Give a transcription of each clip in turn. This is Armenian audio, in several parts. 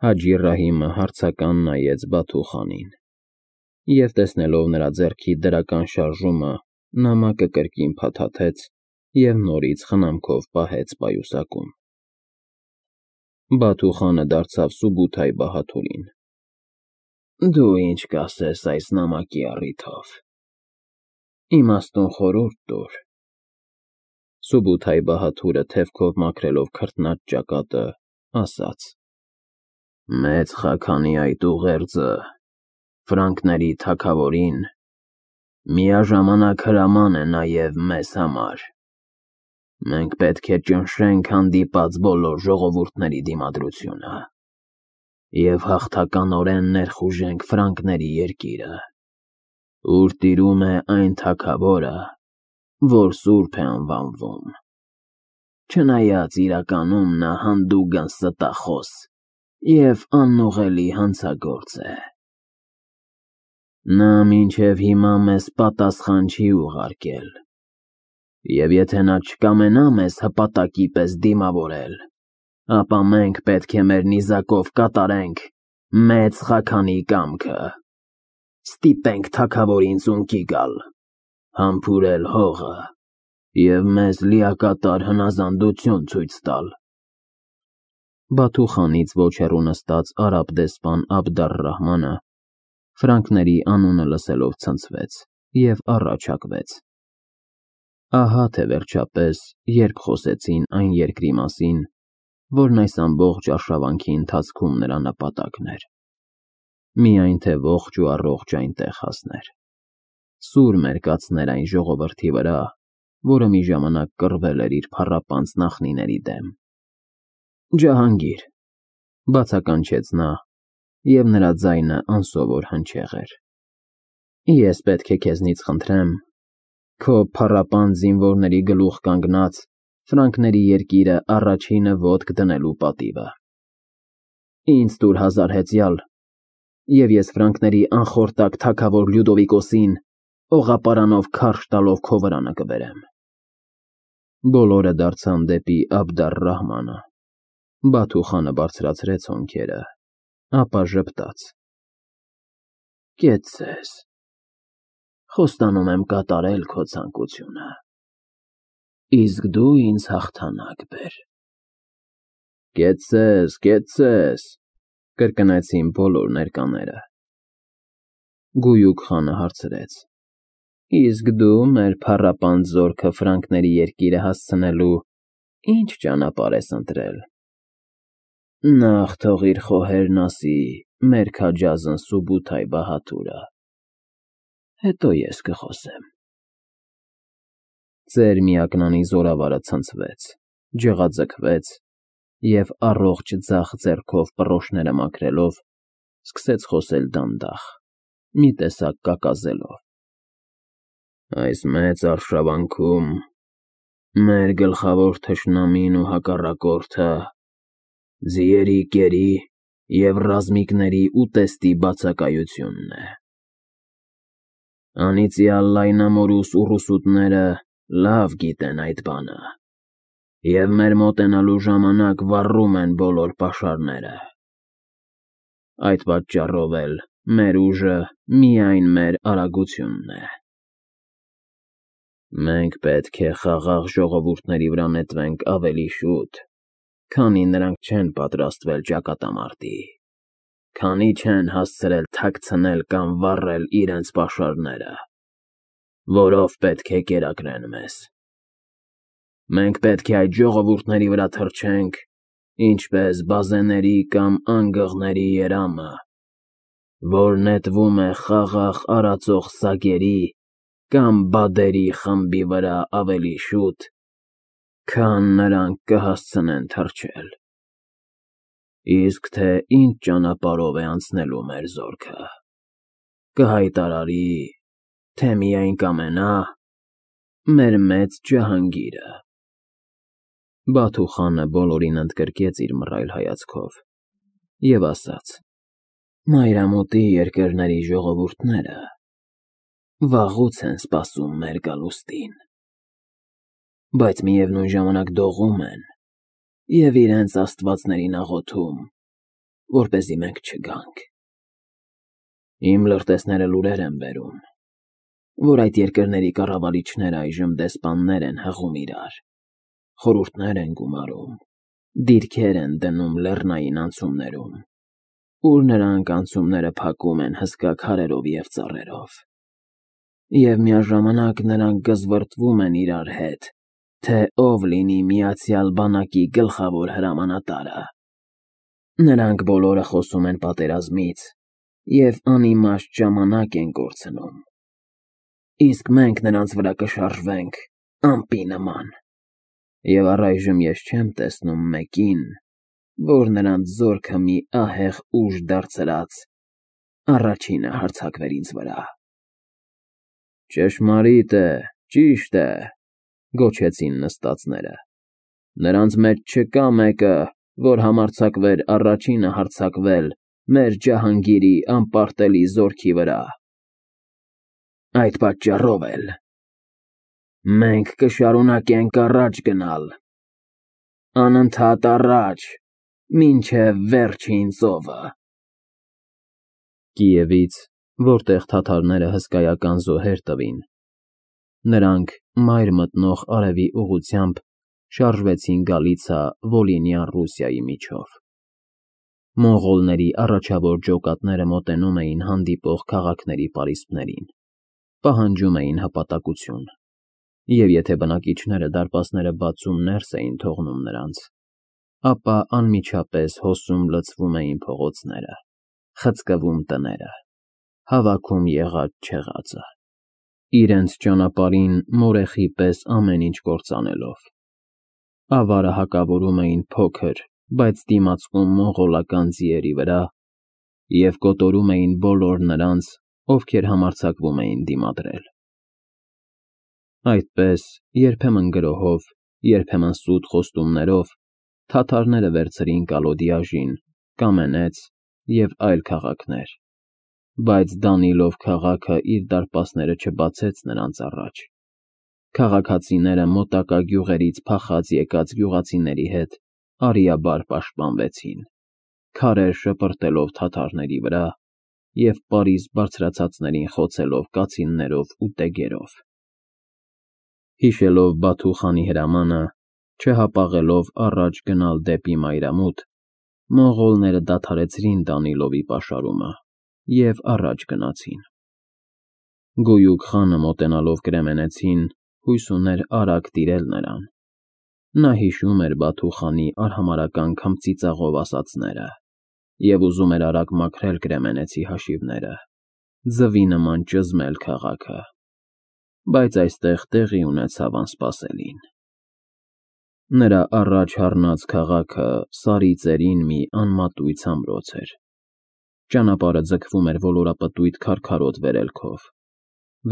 Հաջի Ռահիմը հարցական նայեց Բաթուխանին և, տեսնելով նրա ձեռքի դրական շարժումը, նամակը կրկին փաթաթեց և նորից խնամքով պահեց պայուսակում։ Բաթուխանը դարձավ Սուբութայ-Բահադուրին. «Դու ինչ կասես այս նամակի առիթով, իմաստուն խորհուրդ տուր»։ Սուբութայ-Բահադուրը թևքով մաքրելով քրտնած ճակատը, ասաց. «Մեծ Խաքանի այդ ուղերձը ֆրանկների թագավորին միաժամանակ հրաման է նաև մեզ համար։ Մենք պետք է ճնշենք հանդիպած բոլոր ժողովուրդների դիմադրությունը և հաղթականորեն ներխուժենք ֆրանկների երկիրը, ուր տիրում է այն թագավորը, որ սուրբ է անվանվում, չնայած իրականում նա հանդուգն ստախոս և անուղղելի հանցագործ է։ Նա մինչև հիմա մեզ պատասխան չի ուղարկել, և եթե նա չկամենա մեզ հպատակի պես դիմավորել, ապա մենք պետք է մեր նիզակով կատարենք Մեծ Խաքանի կամքը, ստիպենք թագավորին ծունկի գալ, համբուրել հողը և մեզ լիակատար հնազանդություն ցույց տալ»։ Բաթուխանից ոչ հեռու նստած արաբ դեսպան Աբդ-ալ֊Ռահմանը ֆրանկների անունը լսելով ցնցվեց և առաջհակվեց։ Ահա թե վերջապես, երբ խոսեցին այն երկրի մասին, որն այս ամբողջ արշավանքի ընթացքում նրա նպատակն էր, միայն թե ողջ ու առողջ այնտեղ հասներ, սուր մերկացներ այն ժողովրդի վրա, որը մի ժամանակ կռվել էր իր փառապանծ նախնիների դեմ։ «Ջահանգիր», բացականչեց նա, և նրա ձայնը անսովոր հնչեղ էր, «ես պետք է քեզնից խնդրեմ քո փառապանծ զինվորների գլուխ կանգնած ֆրանկների երկիրը առաջինը ոտք դնելու պատիվը։ Ինձ տուր 1000 հեծյալ, և ես ֆրանկների անխորտակ թագավոր Լյուդովիկոսին օղապարանով քարշ տալով քո վրանը կբերեմ»։ Բոլորը դարձան դեպի Աբդ-ալ-Ռահմանը։ Բաթուխանը բարձրացրեց հոնքերը, ապա ժպտաց. «Կեցցես, խոստանում եմ կատարել քո ցանկությունը, իսկ դու ինձ հաղթանակ բեր»։ «Կեցցես, կեցցես», կրկնեցին բոլոր ներկաները։ Գույուք խանը հարցրեց. «Իսկ դու մեր փառապանծ զորքը ֆրանկների երկիրը հասցնելու ի՞նչ ճանապարհ ես ընտրել»։ «Նախ թող իր խոհերն ասի մեր քաջազն Սուբութայ-Բահադուրը, հետո ես կխոսեմ»։ Ծեր միակնանի զորավարը ցնցվեց, ջղաձգվեց և առողջ ձախ ձեռքով պռոշները մաքրելով, սկսեց խոսել դանդաղ, մի տեսակ կակազելով. «Այս մեծ արշավանքում մեր գլխավոր թշնամին ու հակառակորդը ձիերի կերի և ռազմիկների ուտեստի բացակայությունն է։ Անիծյալ լայնամորուս ուռուսուտները լավ գիտեն այդ բանը և մեր մոտենալու ժամանակ վառում են բոլոր պաշարները։ Այդ պատճառով էլ մեր ուժը միայն մեր արագությունն է։ Մենք պետք է խաղաղ ժողովուրդների վրա նետվենք ավելի շուտ, քանի նրանք չեն պատրաստվել ճակատամարտի, քանի չեն հասցրել թաքցնել կամ վառել իրենց պաշարները, որով պետք է կերակրեն մեզ։ Մենք պետք է այդ ժողովուրդների վրա թռչենք, ինչպես բազեների կամ անգղների երամը, որ նետվում է խաղաղ արածող սագերի կամ բադերի խմբի վրա ավելի շուտ, քան նրանք կհասցնեն թռչել։ Իսկ թե ինչ ճանապարհով է անցնելու մեր զորքը, կհայտարարի, թե միայն կամենա մեր մեծ Ջահանգիրը»։ Բաթուխանը բոլորին ընդգրկեց իր մռայլ հայացքով և ասաց. «Մայրամուտի երկրների ժողովուրդները վաղուց են սպասում մեր գալուստին, բայց միևնույն ժամանակ դողում են և իրենց աստվածներին աղոթում, որպեսզի մենք չգանք։ Իմ լրտեսները լուրեր են բերում, որ այդ երկրների կառավարիչները այժմ դեսպաններ են հղում իրար, խորհուրդներ են գումարում, դիրքեր են դնում լեռնային անցումներում, ուր նրանք անցումները փակում են հսկա քարերով և ծառերով, և միաժամանակ նրանք գզվռտվում են իրար հետ, թե ով լինի միացյալ բանակի գլխավոր հրամանատարը։ Նրանք բոլորը խոսում են պատերազմից և անիմաստ ժամանակ են կորցնում, իսկ մենք նրանց վրա կշարժվենք ամպի նման, և առայժմ ես չեմ տեսնում մեկին, որ նրանց զորքը մի ահեղ ուժ դարձրած առաջինը հարձակվեր ինձ վրա։ Ճշմարիտ է, ճիշտ է, գոչեցին նստածները, նրանց մեջ չկա մեկը, որ համարձակվեր առաջինը հարձակվել մեր ջահանգիրի անպարտելի զորքի վրա։ Այդ պատճառով էլ մենք կշարունակենք առաջ գնալ, անընդհատ առաջ, մինչև վերջին ծովը։ Կիևից, որտեղ թաթարները հսկայական զոհեր տվին, նրանք մայր մտնող արևի ուղղությամբ շարժվեցին Գալիցա-Վոլինյան Ռուսիայի միջով։ Մոնղոլների առաջավոր ջոկատները մոտենում էին հանդիպող քաղաքների պարիսպներին, պահանջում էին հպատակություն, և եթե բնակիչները դարպասները բացում ներս էին թողնում նրանց, ապա անմիջապես հոսում լցվում էին փողոցները, խցկվում տները, հավաքում եղած-չեղածը, իրենց ճանապարհին մորեխի պես ամեն ինչ կործանելով, ավարը հակավորում էին փոքր, բայց դիմացկուն մոնղոլական ձիերի վրա և կոտորում էին բոլոր նրանց, ովքեր համարձակվում էին դիմադրել։ Այդպես, երբեմն գրոհով, երբեմն սուտ խոստումներով, թաթարները վերցրին Կալոդիաժին, Կամենեց և այլ քաղաքներ, բայց Դանիլով քաղաքը իր դարպասները չբացեց նրանց առաջ։ Քաղաքացիները մոտակա գյուղերից փախած եկած գյուղացիների հետ արիաբար պաշտպանվեցին, քարեր շպրտելով թաթարների վրա և պարիսպ բարձրացածներին խոցելով կացիններով ու տեգերով։ Հիշելով Բաթու խանի հրամանը, չհապաղելով առաջ գնալ դեպի մայրամուտ, մոնղոլները դադարեցրին Դանիլովի պաշարումը և առաջ գնացին։ Գոյուկ խանը մոտենալով կրեմենեցին, հույս ուներ արագ տիրել նրան։ Նա հիշում էր Բաթու խանի արհամարհական քմծիծաղով ասածները և ուզում էր արագ մաքրել կրեմենեցի հաշիվները, ձվի նման ճզմել քաղաքը, բայց այստեղ տեղի ունեցավ անսպասելին։ Նրա առաջ առնած քաղաքը Սարի ծերին մի անմատույց ամրոց էր։ Ճանապարհը ձգվում էր ոլորապտույտ քարքարոտ վերելքով,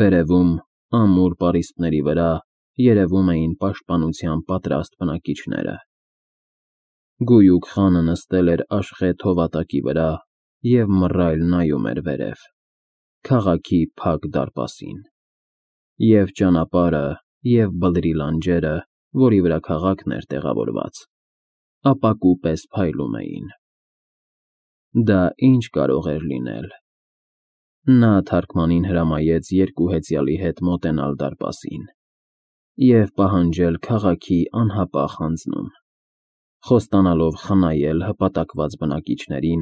վերևում, ամուր պարիսպների վրա, երևում էին պաշտպանության պատրաստ բնակիչները։ Գոյուկ խանը նստել էր աշխեթ հովատակի վրա և մռայլ նայում էր վերև, քաղաքի փակ դարպասին, և ճանապարհը, և բլրի լանջերը, որի վրա քաղաքն էր տեղավորված, ապակու պես փայլում էին։ Դա ինչ կարող էր լինել։ Նա թարգմանին հրամայեց երկու հեծյալի հետ մոտենալ դարպասին և պահանջել քաղաքի անհապաղ հանձնում, խոստանալով խնայել հպատակված բնակիչներին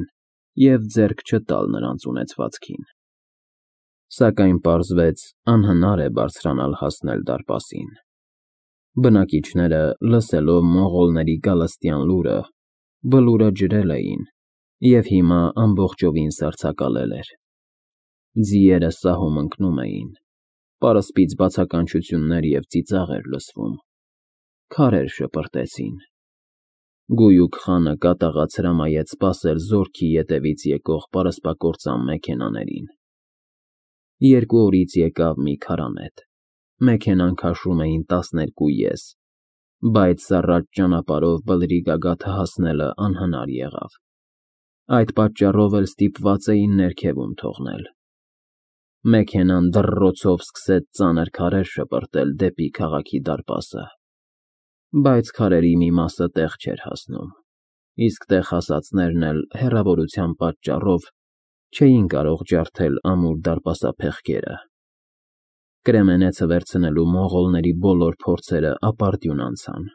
և ձեռք չտալ նրանց ունեցվածքին։ Սակայն պարզվեց անհնար է բարձրանալ հասնել դարպասին։ Բնակիչները, լսելով մոնղոլների գալստյան լուրը, բլուրը ջրել էին և հիմա ամբողջովին սառցակալել էր։ Ձիերը սահում ընկնում էին, պարսպից բացականչություններ և ծիծաղ էր լսվում, քարեր շպրտեցին։ Գոյուկ խանը կատաղած հրամայեց սպասել զորքի ետևից եկող պարսպակործան մեքենաներին։ 2 օրից եկավ մի քարանետ, մեքենան քաշում էին 12 ես, բայց սառած ճանապարհով բլրի գագաթը հասնելը անհնար եղավ։ Այդ պատճառով էլ ստիպված էին ներքևում թողնել։ Մեքենան դռռոցով սկսեց ծանր քարեր շպրտել դեպի քաղաքի դարպասը, բայց քարերի մի մասը տեղ չէր հասնում։ իսկ տեղ հասածներն էլ հեռավորության պատճառով չէին կարող ջարդել ամուր դարպասափեղկերը։ Կրեմենեցը վերցնելու մոնղոլների բոլոր փորձերը ապարդյուն անցան։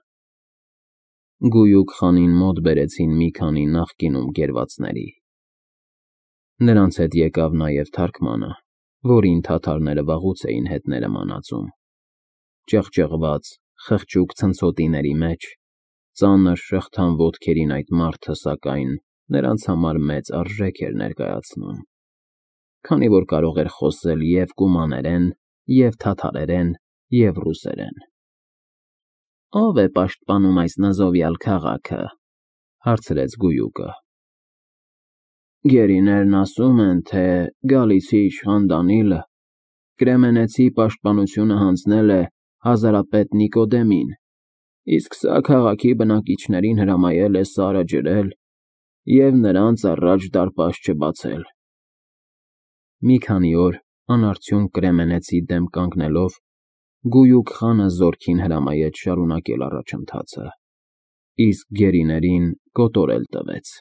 Գույուք խանին մոտ բերեցին մի քանի նախկինում գերվածների։ Նրանց հետ եկավ նաև թարգմանը, որին թաթարները վաղուց էին հետները մանածում։ Ճղճղված, խղճուկ ցնցոտիների մեջ, ծանր շղթան ոտքերին այդ մարդը, սակայն, նրանց համար մեծ արժեք էր ներկայացնում, քանի որ կարող էր խոսել և կումաներեն, և թաթարերեն, և ռուսերեն։ «Ո՞վ է պաշտպանում այս նզովյալ քաղաքը», հարցրեց Գույուկը։ «Գերիներն ասում են, թե գալիցի իշխան Դանիլը Կրեմենեցի պաշտպանությունը հանձնել է հազարապետ Նիկոդեմին, իսկ սա քաղաքի բնակիչներին հրամայել է սարը ջրել և նրանց առաջ դարպաս չբացել»։ Մի քանի օր անարդյունք Կրեմենեցի դեմ կանգնելով, Գույուկ խանը զորքին հրամայեց շարունակել առաջընթացը, իսկ գերիներին կոտորել տվեց։